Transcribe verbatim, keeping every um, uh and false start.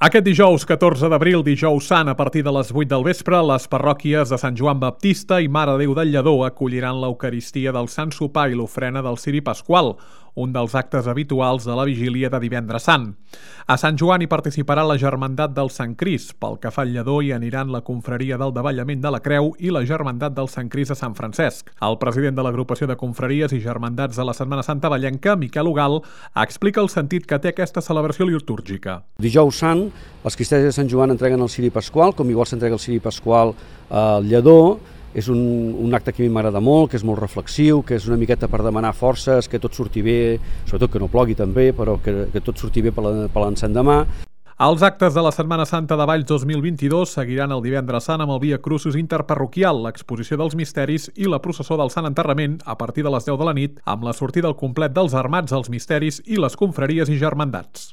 Aquest dijous, catorze d'abril, dijous sant, a partir de les vuit del vespre, les parròquies de Sant Joan Baptista i Mare de Déu del Lledó acolliran l'Eucaristia del Sant Sopar i l'ofrena del Ciri Pasqual, un dels actes habituals de la vigília de Divendres Sant. A Sant Joan hi participarà la Germandat del Sant Crist. Pel que fa al Lledó hi aniran la Confraria del Davallament de la Creu i la Germandat del Sant Crist de Sant Francesc. El president de l'agrupació de confraries i germandats de la Setmana Santa Vallenca, Miquel Ugal, explica el sentit que té aquesta celebració litúrgica. Dijous Sant, els cristians de Sant Joan entreguen el Ciri Pasqual, com igual s'entrega el Ciri Pasqual al Lledó. És un, un acte que a mi m'agrada molt, que és molt reflexiu, que és una miqueta per demanar forces, que tot surti bé, sobretot que no plogui també, però que, que tot surti bé per l'endemà. Els actes de la Setmana Santa de Valls dos mil vint-i-dos seguiran el Divendres Sant amb el Via Crucis interparroquial, l'exposició dels misteris i la processó del Sant Enterrament a partir de les deu de la nit, amb la sortida al complet dels armats, els misteris i les confraries i germandats.